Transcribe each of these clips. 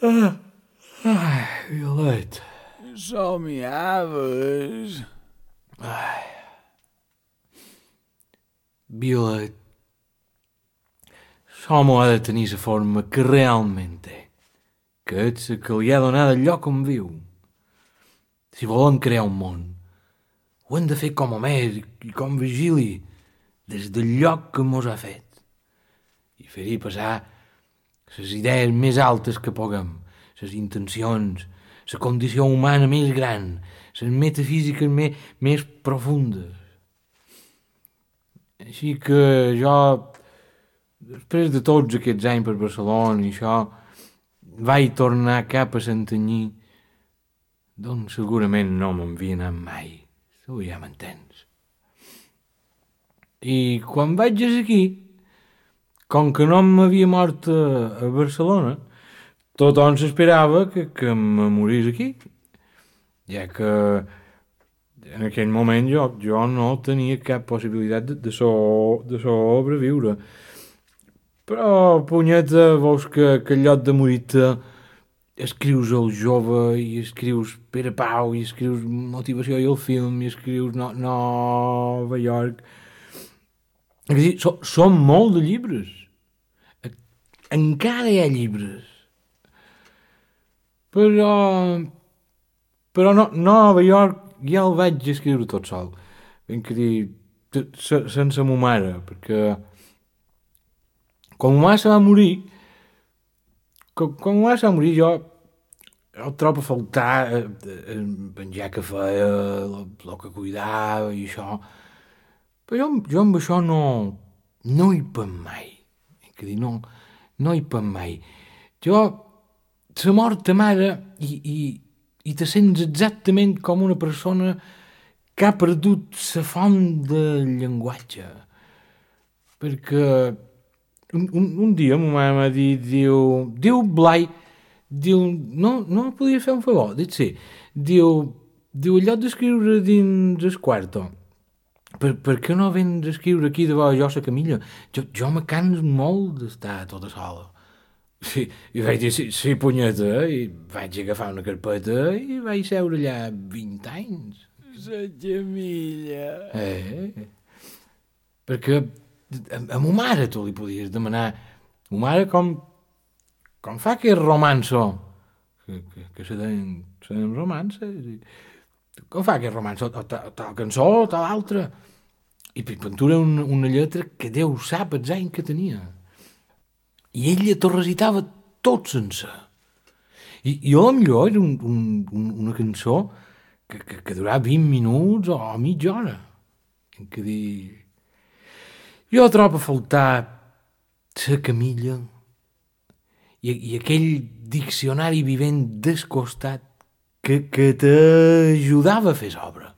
Ai, Violeta. Somiaves. Ai. Violeta. Só m'ho ha de tenir la forma que realment té. Que és la que li ha donat el lloc on viu. Si volem crear un món, ho hem de fer com Homer i com Virgili, des del lloc que mos ha fet. I fer-hi passar les idees més altes que puguem, les intencions, la condició humana més gran, les metafísiques més profundes. Així que jo, després de tots aquests anys per Barcelona i això, vaig tornar cap a Santanyí, d'on segurament no m'havia anat mai. Tu ja m'entens. I quan vaig aquí, com que no m'havia mort a Barcelona, tothom s'esperava que me morís aquí, ja que en aquell moment jo no tenia cap possibilitat de sobreviure. Però, punyeta, veus que en lloc de morir-te escrius el jove i escrius Pere Pau i escrius Motivació i el film i escrius Nova York. És a dir, són molt de llibres. Encara hi ha llibres. Però no, Nova York ja el vaig escriure tot sol. Ben que dir, sense ma mare, perquè quan ma mare se va morir, jo el trobo a faltar el menjar que feia, el que cuidava i això. Però jo amb això no hi penso mai. Que dir, no hi penso mai. Jo, la mort ta mare i te sents exactament com una persona que ha perdut la font del llenguatge. Perquè un dia ma mare m'ha dit, diu Blai, no podia fer un favor, dic sí, diu, en lloc d'escriure dins el quarto, per què no vens a escriure aquí davant jo la Camilla? Jo me cans molt d'estar tota sola. Sí, i vaig dir, sí, punyeta, i vaig agafar una carpeta i vaig seure allà 20 anys. La Camilla. Perquè a ma mare tu li podies demanar, ma mare com fa aquest romanço, que se deien romances, com fa aquest romanço, o tal cançó, o tal altra, i pintura una lletra que Déu sap els anys que tenia. I ella t'ho recitava tot sense. I potser era una cançó que durava 20 minuts o mitja hora. En què dir... Jo trobo a faltar la Camilla i aquell diccionari vivent descostat que t'ajudava a fer l'obra.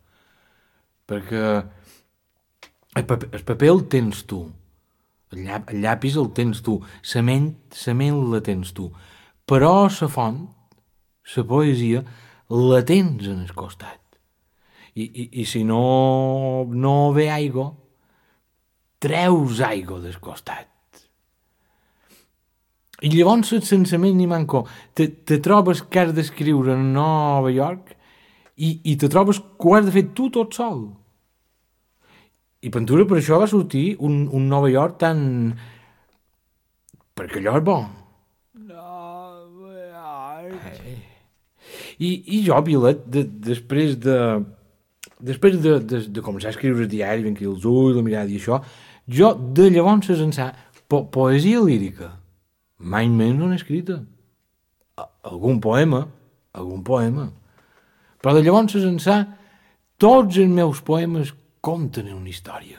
Perquè el paper el tens tu, el llapis el tens tu, la ment la tens tu, però la font, la poesia, la tens en el costat. I si no ve aigua, treus aigua del costat. I llavors sense més ni manco te trobes que has d'escriure a Nova York i te trobes que ho has de fer tu tot sol. I Ventura per això va sortir un Nova York tan... perquè allò és bo. Nova York. I jo, Violet, després de començar a escriure el diari, ben que els ulls, la mirada i això, jo de llavors ençà poesia lírica mai més no n'he escrita. Algun poema, però de llavors ençà tots els meus poemes conten una història,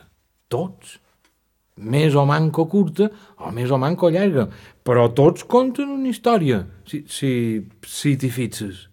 tots, més o manco curta o més o manco llarga, però tots conten una història, si t'hi fixes.